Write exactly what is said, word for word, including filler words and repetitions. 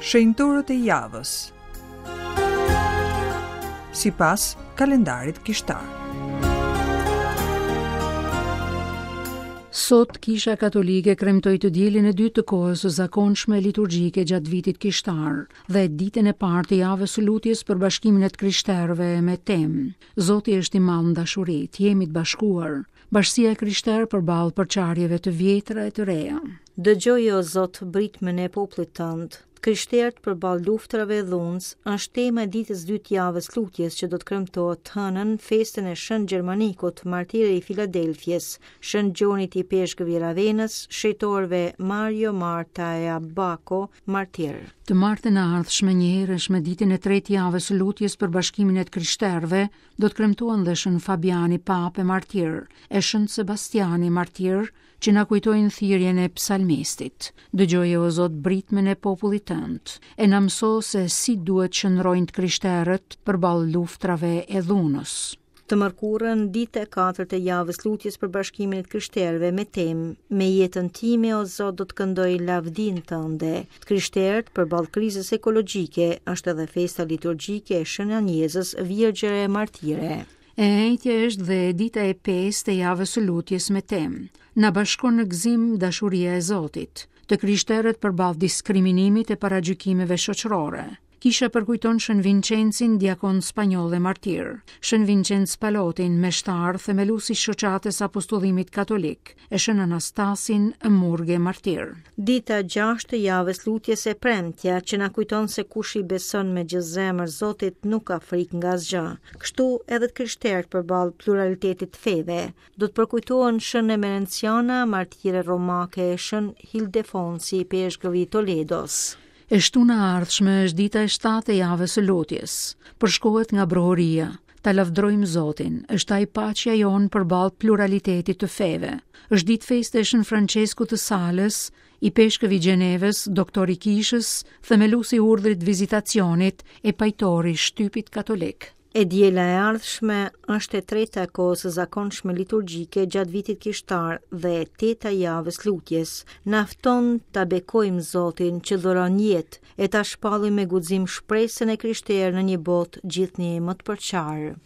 Shenjtorët e javës. Sipas kalendarit kishtar. Sot Kisha Katolike kremtoi të dielën e dytë të kohës së zakonshme liturgjike gjatë vitit kishtar dhe ditën e parë të javës së lutjes për bashkimin e të krishterëve me temë Zoti është i madh në dashuri, të jemi të bashkuar. Bashkësia e krishterë përballë përçarjeve të vjetra e të reja. Dëgjoj o Zot britmën e popullit tënd. Të krishterët përballë luftrave e dhunës është tema e ditës dytë javës lutjes që do të kremtohet të hënën festën e Shën Gjermanikut, martiri i Filadelfies, Shën Gjonit Ipeshkëv i Ravenës, shenjtorëve Mario, Marta e Abako, martir. Të martën e ardhshme njëherësh me ditën e tretë javës së lutjes për bashkimin e të krishterëve, do të kremtohen dhe Shën Fabiani Papë e martir, e Shën Sebastiani martir, që na kujtojnë thirrjen e psalmistit. Dëgjoje o Zot britmën e popullit tënd, e na mëso se si duhet qëndrojnë të krishterët përballë luftrave e dhunës. Të mërkurën, ditë e katërt e javës lutjes për bashkimin e të krishterëve me temë Me jetën time o Zot do të këndoj lavdinë tënde. Të krishterët përballë krizës ekologjike është edhe festa liturgjike e Shën Anjezës, Virgjëre e Martire. E enjtja është dhe dita e pestë e javës së lutjes me temë Na bashkon në gëzim dashuria e Zotit. Të krishterët përballë diskriminimit e paragjykimeve shoqërore. Kisha përkujton Shën Vincencin, diakon spanjoll e martir, Shën Vincenc Palotin, meshtar, themelues i shoqatës apostullimit katolik, e Shën Anastasin, murge martir. Dita gjashtë e javës lutjes e premtja që na kujton se kush i beson me gjithë zemër Zotit nuk ka frikë nga asgjë. Kështu edhe të krishterët përballë pluralitetit të feve do të përkujtohen Shën Emerenciana, martire romake, Shën Hildefonsi, ipeshkëv i Toledos. E shtuna e ardhshme është dita e shtatë e javës së lutjes. Përshkohet nga brohoria, ta lavdrojmë Zotin, është ai paqja jonë përballë pluralitetit të feve. Është ditë feste e Shën Franceskut të Salës, ipeshkëv i Gjenevës, doktor i kishës, themelues i urdhrit vizitacionit e pajtor i shtypit katolik. E diela e ardhshme është e treta e kohës së zakonshme liturgjike gjatë vitit kishtar dhe e teta e javës lutjes. Na fton ta bekojmë Zotin që dhuron jetë e ta shpallim me guxim shpresën e krishterë në një botë gjithnjë më të përçarë.